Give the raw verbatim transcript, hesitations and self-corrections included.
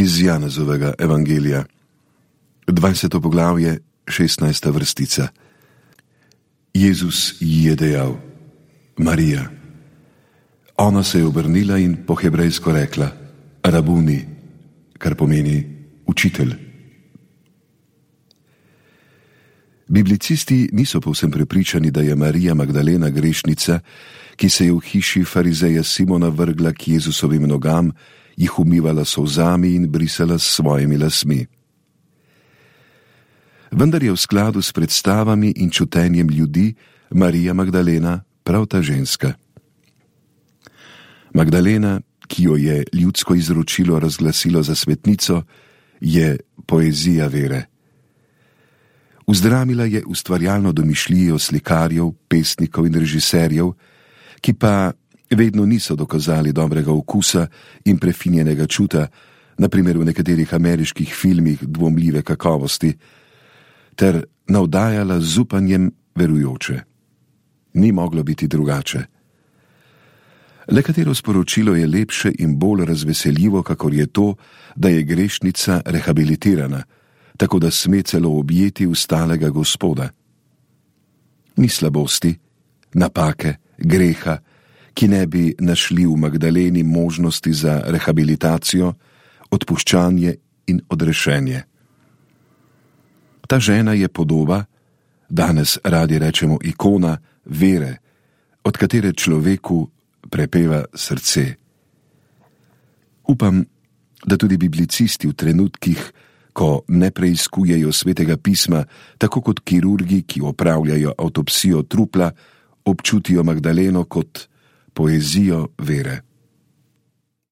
Iz Janezovega evangelija, dvajseto poglavje, šestnajsta vrstica. Jezus ji je dejal: Marija. Ona se je obrnila in po hebrejsko rekla: Rabuni, kar pomeni učitelj. Biblicisti niso povsem prepričani, da je Marija Magdalena grešnica, ki se je v hiši farizeja Simona vrgla k Jezusovim nogam, jih umivala solzami in brisala s svojimi lasmi. Vendar je v skladu s predstavami in čutenjem ljudi Marija Magdalena prav ta ženska. Magdalena, ki jo je ljudsko izročilo razglasilo za svetnico, je poezija vere. Vzdramila je ustvarjalno domišljijo slikarjev, pesnikov in režiserjev, ki pa vedno niso dokazali dobrega okusa in prefinjenega čuta, na primer v nekaterih ameriških filmih dvomljive kakovosti, ter navdajala z upanjem verujoče. Ni moglo biti drugače. Le katero sporočilo je lepše in bolj razveseljivo, kakor je to, da je grešnica rehabilitirana, tako da sme celo objeti ustalega Gospoda. Ni slabosti, napake, greha, ki ne bi našli v Magdaleni možnosti za rehabilitacijo, odpuščanje in odrešenje. Ta žena je podoba, danes radi rečemo ikona, vere, od katere človeku prepeva srce. Upam, da tudi biblicisti v trenutkih, ko ne preiskujejo svetega pisma, tako kot kirurgi, ki opravljajo avtopsijo trupla, občutijo Magdaleno kot poezijo vere.